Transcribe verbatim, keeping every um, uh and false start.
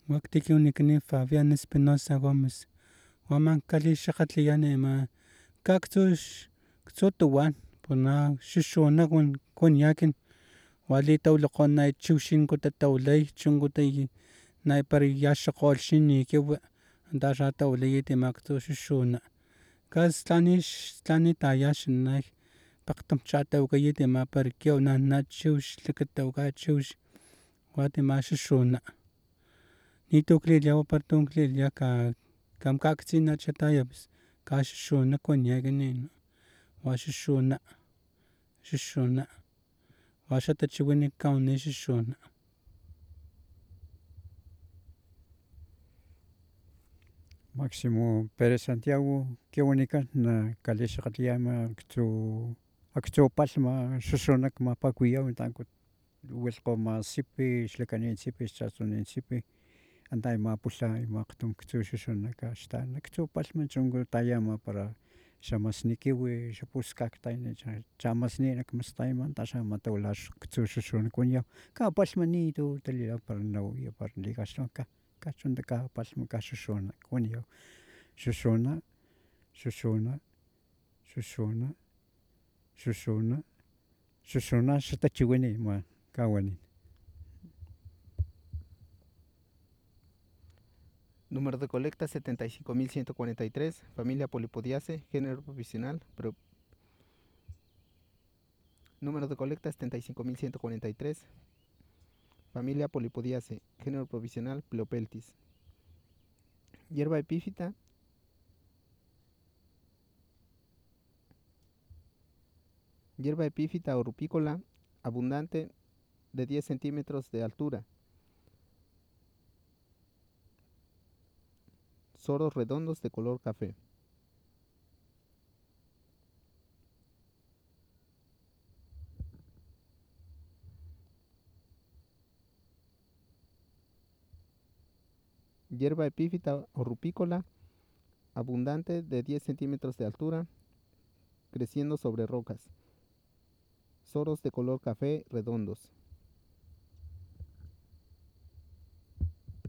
Waktiki unikni Fabián Espinosa Gómez. Waman kali xakatliani ma kaktux ktsotuwan puna xuxuna kun kun yakin wali tawlaqon nay chiwxin kuta tawlay chunkuta nay par yaxokgolxin nikiwi anta xa tawlayit maktu xuxuna kas tlani tlani tayaxanay pakgtam chatawakayit ama para kiaw na chiwx lakatawaka chiwx wati ama xuxuna nitu klilhawa para tu klilha kam kaktsinacha pus kaxuxuna kuaniakini wa xuxuna xuxuna wa xa tachiwin kawani xuxuna Maximo Perez Santiago kin wanikan na kalixakgatliya ama aktsu aktsu palhma xuxuna kmapakuwiyaw tanku wilhkgoma sipi xlakanin sipi xchachunin sipi anta ima pulha ima akgtum ktsu xuxuna kaxtan aktsu palhma chunku taya ama para xamasni kiwi xa puskagtayni chamasni nak mastayma anta xa ama tawila ktsu xuxuna kuaniyaw kapalhma nitu talila para nawiya para likaxlhawa kachunta kapalhma kaxuxuna kuaniyaw xuxuna xuxuna xuxuna xuxuna xuxuna xatachiwini ama kawani Número de colecta setenta y cinco mil ciento cuarenta y tres, familia Polipodiaceae, género provisional. Pro... Número de colecta setenta y cinco mil ciento cuarenta y tres, familia Polipodiaceae, género provisional. Pleopeltis. Hierba epífita. Hierba epífita o rupícola, abundante, de diez centímetros de altura. Soros redondos de color café. Hierba epífita o rupícola, abundante, de diez centímetros de altura, creciendo sobre rocas. Soros de color café redondos.